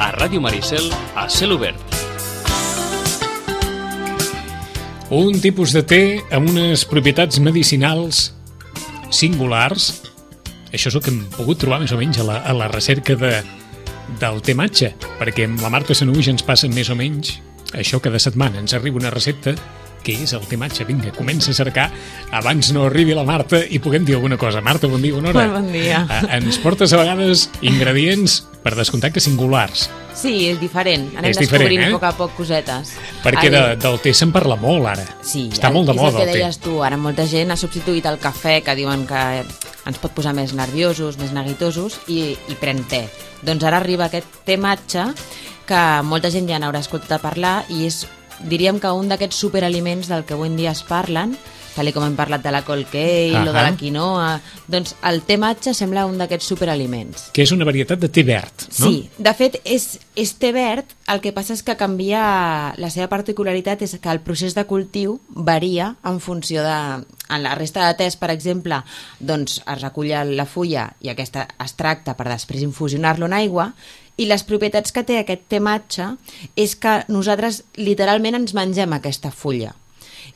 A Ràdio Maricel, a cel obert. Un tipus de té amb unes propietats medicinals singulars. Això és el que hem pogut trobar més o menys a la recerca del té matxa, perquè amb la Marta Sanuix ens passa més o menys això cada setmana. Ens arriba una recepta que és el té matxa. Vinga, comença a cercar abans no arribi la Marta i puguem dir alguna cosa. Marta, bon dia, bona hora. Bon dia. Ens portes a vegades ingredients, per descomptat, que singulars. Sí, és diferent. Anem És descobrint diferent, a poc a poc cosetes. Perquè del té se'n parla molt ara. Sí, està molt de moda és el que el té. deies tu. Ara molta gent ha substituït el cafè, que diuen que ens pot posar més nerviosos, més neguitosos, i pren té. Doncs ara arriba aquest té matxa, que molta gent ja n'haurà escoltat a parlar, i és, diríem que un d'aquests superaliments del que avui en dia es parlen, tal com hem parlat de la col kale o de la quinoa, doncs el té matxa sembla un d'aquests superaliments. Que és una varietat de té verd, no? Sí, de fet és té verd, el que passa és que canvia, la seva particularitat és que el procés de cultiu varia en funció de... En la resta de tés, per exemple, doncs es recull la fulla i aquesta es tracta per després infusionar-lo en aigua, i les propietats que té aquest té matxa és que nosaltres literalment ens mengem aquesta fulla.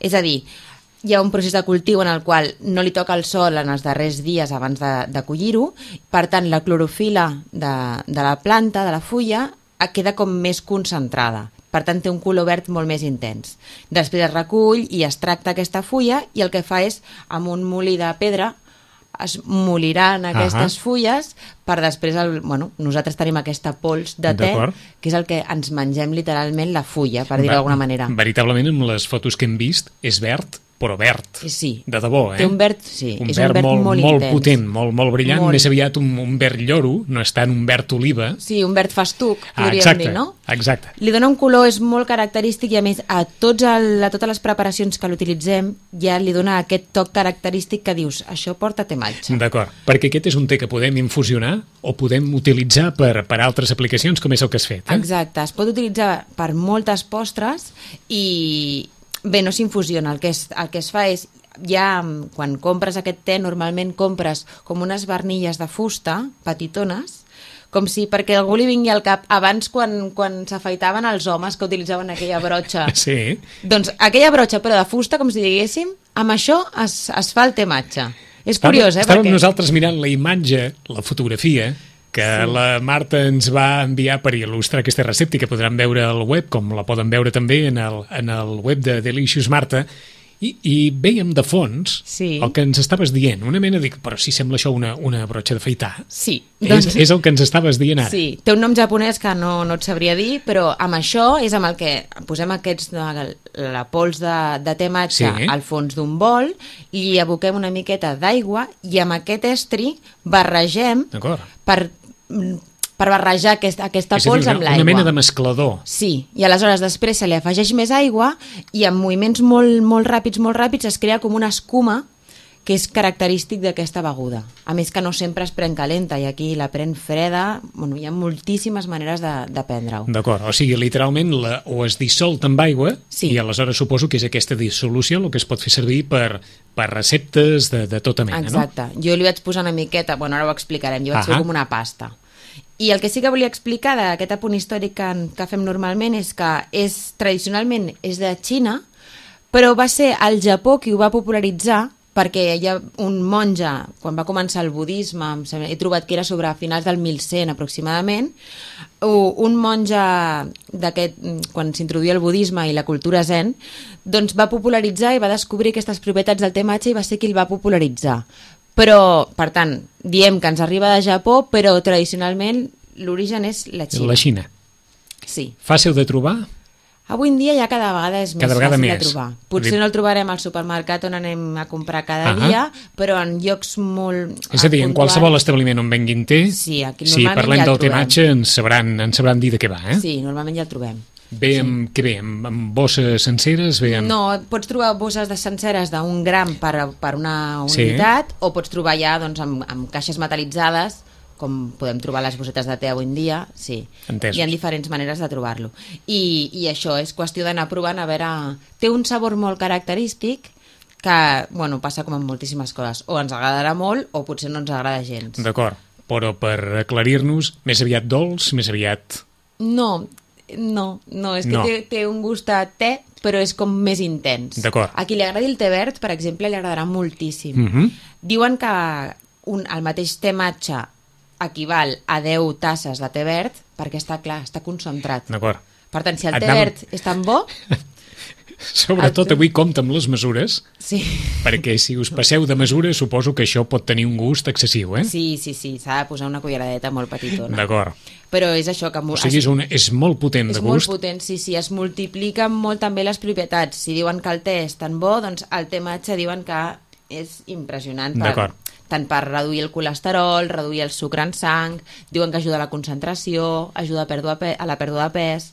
És a dir, hi ha un procés de cultiu en el qual no li toca el sol en els darrers dies abans de collir-ho, per tant la clorofila de la planta, de la fulla, queda com més concentrada. Per tant, té un color verd molt més intens. Després es recull i es tracta aquesta fulla i el que fa és, amb un molí de pedra, es moliran aquestes fulles per després, nosaltres tenim aquesta pols de té, que és el que ens mengem literalment la fulla, per dir-ho d'alguna manera. Veritablement, amb les fotos que hem vist, és verd, però verd. Sí. De debò, Té un verd, sí. Un és verd un verd molt molt intens. potent, molt brillant, més aviat un verd lloro, no és tant un verd oliva. Sí, un verd festuc, podríem dir, no? Exacte. Li dona un color, és molt característic, i a més a totes les preparacions que l'utilitzem ja li dona aquest toc característic que dius, això porta té matxa. D'acord, perquè aquest és un té que podem infusionar o podem utilitzar per altres aplicacions, com és el que has fet. Exacte, es pot utilitzar per moltes postres i bé, no s'infusiona, el que es fa és, ja quan compres aquest té, normalment compres com unes barnilles de fusta, petitones, com si perquè algú li vingui al cap, abans quan s'afaitaven els homes que utilitzaven aquella brotxa. Sí. Doncs aquella brotxa, però de fusta, com si diguéssim, amb això es fa el té matxa. És curiós, Estàvem nosaltres mirant la imatge, la fotografia, que la Marta ens va enviar per il·lustrar aquesta recepta, que podran veure al web, com la poden veure també en el web de Delicious Marta, i veiem de fons el que ens estaves dient. Una mena de... Però si sembla això una brotxa d'afaitar. Sí. És el que ens estaves dient ara. Sí, té un nom japonès que no et sabria dir, però amb això és amb el que posem la pols de té matxa al fons d'un bol, i hi aboquem una miqueta d'aigua i amb aquest estri barregem per barrejar aquesta pols amb l'aigua. Una mena de mesclador. Sí, i aleshores després se li afegeix més aigua i amb moviments molt ràpids es crea com una escuma que és característic d'aquesta beguda. A més que no sempre es pren calenta, i aquí la pren freda, hi ha moltíssimes maneres de prendre-ho. D'acord, o sigui, literalment o es dissol amb aigua, i aleshores suposo que és aquesta dissolució el que es pot fer servir per receptes de tota mena, no? Exacte, jo li vaig posar una miqueta, ara ho explicarem, jo vaig fer com una pasta. I el que sí que volia explicar d'aquest apunt històric que fem normalment és que tradicionalment és de Xina, però va ser el Japó qui ho va popularitzar, perquè hi ha un monge, quan va començar el budisme, he trobat que era sobre finals del 1100 aproximadament, un monge quan s'introduïa el budisme i la cultura zen, doncs va popularitzar i va descobrir aquestes propietats del té matxa i va ser qui el va popularitzar. Però, per tant, diem que ens arriba de Japó, però tradicionalment l'origen és la Xina. La Xina. Sí. Fàcil de trobar? Avui en dia ja cada vegada és més fàcil de trobar. Potser no el trobarem al supermercat on anem a comprar cada dia, però en llocs molt... És a dir, en qualsevol establiment on venguin té, si parlem del té matxa, ens sabran dir de què va, eh? Sí, normalment ja el trobem. Ve amb bosses senceres? No, pots trobar bosses senceres d'un gram per una unitat, o pots trobar ja amb caixes metal·litzades, com podem trobar les bossetes de té avui en dia, sí. Entesos. Hi ha diferents maneres de trobar-lo. I això és qüestió d'anar provant, a veure... Té un sabor molt característic que, passa com amb moltíssimes coses. O ens agradarà molt o potser no ens agrada gens. D'acord, però per aclarir-nos, més aviat dolç, més aviat No, és que té un gust a te, però és com més intens. D'acord. A qui li agradi el té verd, per exemple, li agradarà moltíssim. Diuen que el mateix té matxa equival a 10 tasses de té verd, perquè està clar, està concentrat. D'acord. Per tant, si el té verd és tan bo... Sobretot avui compta amb les mesures, sí. Perquè si us passeu de mesura suposo que això pot tenir un gust excessiu, eh? Sí, s'ha de posar una culleradeta molt petitona. D'acord. Però és això que... O sigui, és molt potent de gust. És molt potent, sí, es multipliquen molt també les propietats. Si diuen que el té és tan bo, doncs el té matxa diuen que és impressionant tant per reduir el colesterol, reduir el sucre en sang, diuen que ajuda a la concentració, ajuda a la pèrdua de pes...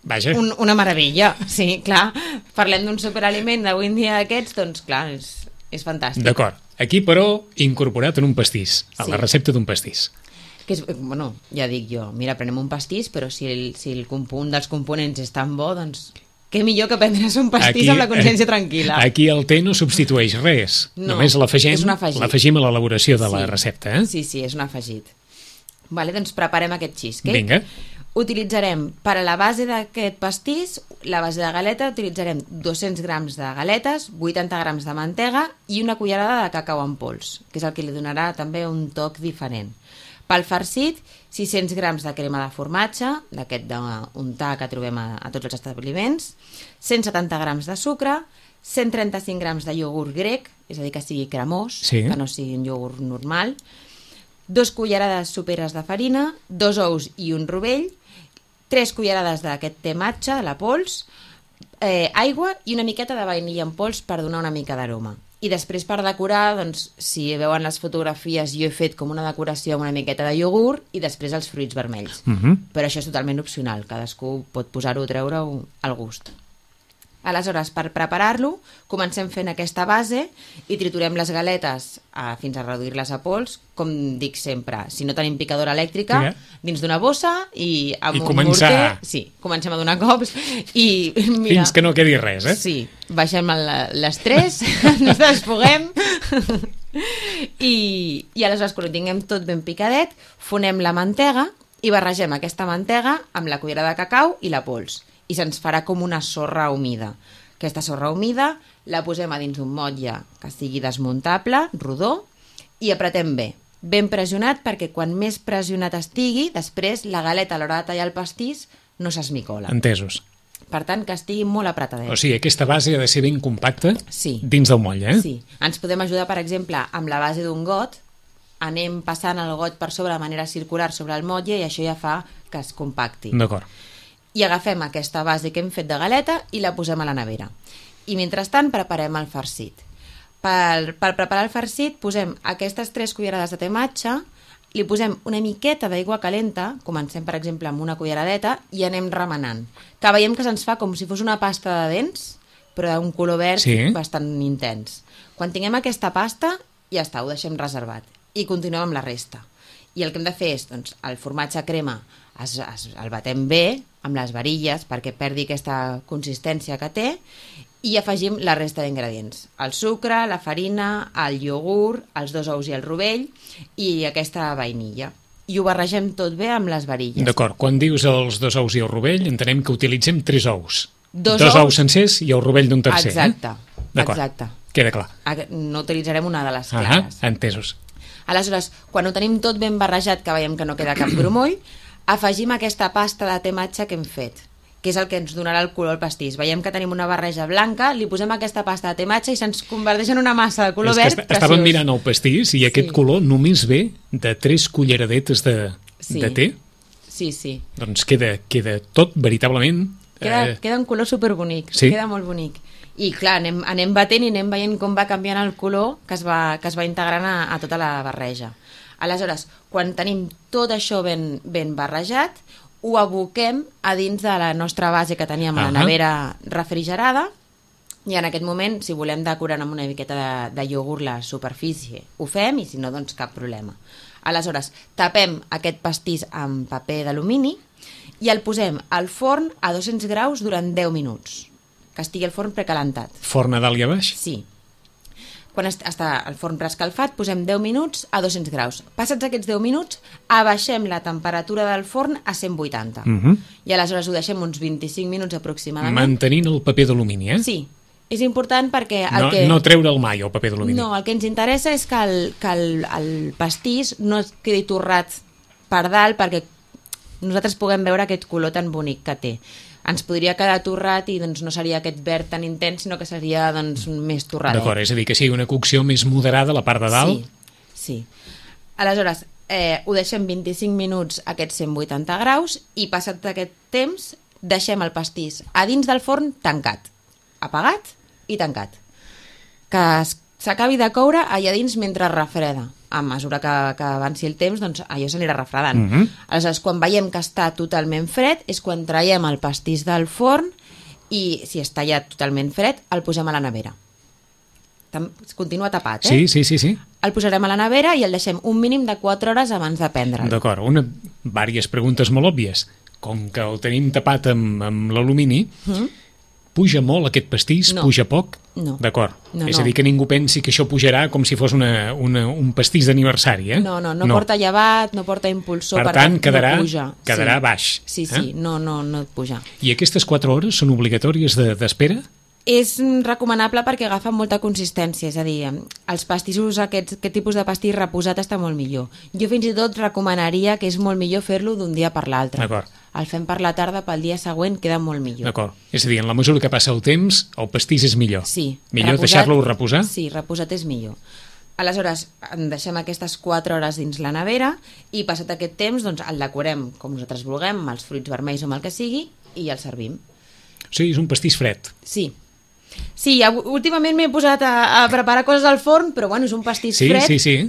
Vaja. Una meravella, sí, clar. Parlem d'un superaliment d'avui en dia d'aquests, doncs clar, és fantàstic. D'acord. Aquí, però, incorporat en un pastís, a la recepta d'un pastís. Que és, bueno, ja dic jo, mira, prenem un pastís, però si un dels components és tan bo, doncs què millor que prendre's un pastís amb la consciència tranquil·la. Aquí el té no substitueix res, només l'afegim a l'elaboració de la recepta. Sí, és un afegit. Vale, doncs preparem aquest cheesecake. Vinga. Utilitzarem, per a la base d'aquest pastís, la base de galeta, utilitzarem 200 grams de galetes, 80 grams de mantega i una cullerada de cacau en pols, que és el que li donarà també un toc diferent. Pel farcit, 600 grams de crema de formatge, d'aquest d'untar que trobem a tots els establiments, 170 grams de sucre, 135 grams de iogurt grec, és a dir, que sigui cremós, que no sigui un iogurt normal, 2 cullerades soperes de farina, 2 ous i un rovell, 3 cullerades d'aquest té matxa, de la pols, aigua i una miqueta de vainilla en pols per donar una mica d'aroma. I després per decorar, doncs, si veuen les fotografies, jo he fet com una decoració amb una miqueta de iogurt i després els fruits vermells. Però això és totalment opcional, cadascú pot posar-ho o treure-ho al gust. Aleshores, per preparar-lo, comencem fent aquesta base i triturem les galetes fins a reduir-les a pols, com dic sempre, si no tenim picadora elèctrica, dins d'una bossa i amb un morter... Sí, comencem a donar cops i... Mira, fins que no quedi res, eh? Sí, baixem l'estrès, ens desfoguem i aleshores, quan ho tinguem tot ben picadet, fonem la mantega i barregem aquesta mantega amb la cullerada de cacau i la pols. I se'ns farà com una sorra humida. Aquesta sorra humida la posem a dins d'un motlle que sigui desmuntable, rodó, i apretem bé. Ben pressionat perquè quan més pressionat estigui, després la galeta a l'hora de tallar el pastís no s'esmicola. Entesos. Per tant, que estigui molt apretadet. O sigui, aquesta base ha de ser ben compacta dins del motlle, eh? Sí. Ens podem ajudar, per exemple, amb la base d'un got, anem passant el got per sobre de manera circular sobre el motlle i això ja fa que es compacti. D'acord. I agafem aquesta base que hem fet de galeta i la posem a la nevera. I mentrestant preparem el farcit. Per preparar el farcit posem aquestes 3 cullerades de té matxa, li posem una miqueta d'aigua calenta, comencem per exemple amb una culleradeta i anem remenant. Que veiem que se'ns fa com si fos una pasta de dents, però d'un color verd bastant intens. Quan tinguem aquesta pasta, ja està, ho deixem reservat. I continuem amb la resta. I el que hem de fer és, doncs, el formatge crema el batem bé amb les varilles perquè perdi aquesta consistència que té i afegim la resta d'ingredients. El sucre, la farina, el iogurt, els 2 ous i el rovell i aquesta vainilla. I ho barregem tot bé amb les varilles. D'acord, quan dius els 2 ous i el rovell entenem que utilitzem 3 ous. 2 ous sencers i el rovell d'un tercer. Exacte, exacte. Queda clar. No utilitzarem una de les clares. Entesos. Aleshores, quan ho tenim tot ben barrejat, que veiem que no queda cap grumoll, afegim aquesta pasta de té matxa que hem fet, que és el que ens donarà el color al pastís. Veiem que tenim una barreja blanca, li posem aquesta pasta de té matxa i se'ns converteix en una massa de color verd preciós. Estàvem mirant el pastís i aquest color només ve de 3 culleradetes de té. Sí. Doncs queda tot veritablement... Queda un color superbonic, queda molt bonic. I clar, anem batent i anem veient com va canviant el color que es va integrant a tota la barreja. Aleshores, quan tenim tot això ben barrejat, ho aboquem a dins de la nostra base que teníem a la nevera refrigerada i en aquest moment, si volem decorar amb una miqueta de iogurt la superfície, ho fem i si no, doncs cap problema. Aleshores, tapem aquest pastís amb paper d'alumini i el posem al forn a 200 graus durant 10 minuts, que estigui el forn precalentat. Forn a dalt i a baix? Sí. Quan està el forn preescalfat, posem 10 minuts a 200 graus. Passats aquests 10 minuts, abaixem la temperatura del forn a 180. I aleshores ho deixem uns 25 minuts aproximadament. Mantenint el paper d'alumini, eh? Sí. És important perquè... No treure'l mai, el paper d'alumini. No, el que ens interessa és que el pastís no es quedi torrat per dalt perquè nosaltres puguem veure aquest color tan bonic que té. Ens podria quedar torrat i doncs, no seria aquest verd tan intens, sinó que seria doncs, més torradet. D'acord, és a dir, que sigui una cocció més moderada a la part de dalt. Sí. Aleshores, ho deixem 25 minuts a aquests 180 graus i passat aquest temps deixem el pastís a dins del forn tancat, apagat i tancat. Que s'acabi de coure allà dins mentre refreda. A mesura que avanci el temps, doncs allò s'anirà refredant. Aleshores, quan veiem que està totalment fred, és quan traiem el pastís del forn i, si està ja totalment fred, el posem a la nevera. Continua tapat, Sí. El posarem a la nevera i el deixem un mínim de 4 hores abans de prendre'l. D'acord, diverses preguntes molt òbvies. Com que el tenim tapat amb l'alumini, puja molt aquest pastís? No. Puja poc? No. D'acord. No, és a dir, que ningú pensi que això pujarà com si fos un pastís d'aniversari, eh? No porta llevat, no porta impulsor, per tant, quedarà baix. Sí, no puja. I aquestes 4 hores són obligatòries d'espera? És recomanable perquè agafa molta consistència, és a dir, els pastissos, aquest tipus de pastís reposat està molt millor. Jo fins i tot recomanaria que és molt millor fer-lo d'un dia per l'altre. D'acord. El fem per la tarda, pel dia següent queda molt millor. D'acord. És a dir, en la mesura que passa el temps, el pastís és millor. Sí. Millor deixar-lo reposar? Sí, reposat és millor. Aleshores, deixem aquestes 4 hores dins la nevera i passat aquest temps doncs, el decorem com nosaltres vulguem, amb els fruits vermells o amb el que sigui, i el servim. O sigui, és un pastís fred. Sí, últimament m'he posat a preparar coses al forn, però bueno, és un pastís fred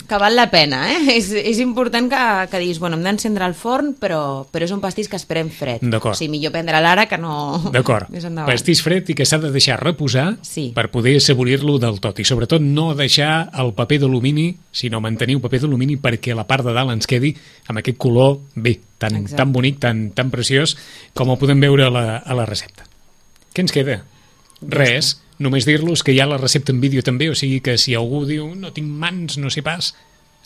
que val la pena, eh? És important que diguis, bueno, hem d'encendre el forn, però és un pastís que esperem fred. D'acord. O sigui, millor prendre l'ara que no... D'acord. Pastís fred i que s'ha de deixar reposar per poder assaborir-lo del tot. I sobretot no deixar el paper d'alumini, sinó mantenir el paper d'alumini perquè la part de dalt ens quedi amb aquest color tan bonic, tan preciós, com el podem veure a la recepta. Què ens queda? Res, només dir-los que hi ha la recepta en vídeo també, o sigui que si algú diu no tinc mans, no sé pas,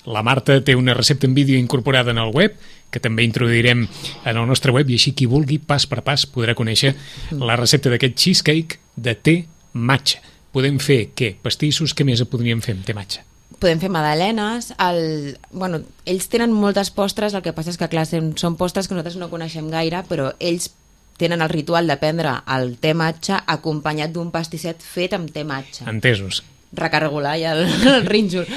la Marta té una recepta en vídeo incorporada en el web, que també introduirem en el nostre web, i així qui vulgui, pas per pas, podrà conèixer la recepta d'aquest cheesecake de té matxa. Podem fer, què? Pastissos, què més podríem fer amb té matxa? Podem fer magdalenes, ells tenen moltes postres, el que passa és que clar, són postres que nosaltres no coneixem gaire, però ells tenen el ritual de prendre el té matxa acompanyat d'un pastisset fet amb té matxa. Entesos. Recargolar ja el rínxol.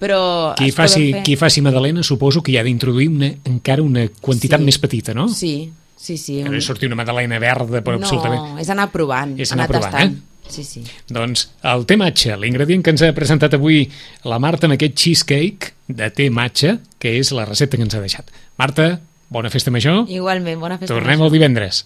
Però qui faci magdalena suposo que hi ha d'introduir encara una quantitat més petita, no? Sí. Que no és sortir una magdalena verda, però absolutament... No, és anar provant, anar tastant. Sí. Doncs el té matxa, l'ingredient que ens ha presentat avui la Marta en aquest cheesecake de té matxa, que és la recepta que ens ha deixat. Marta, bona festa major. Igualment, bona festa major. Tornem el divendres.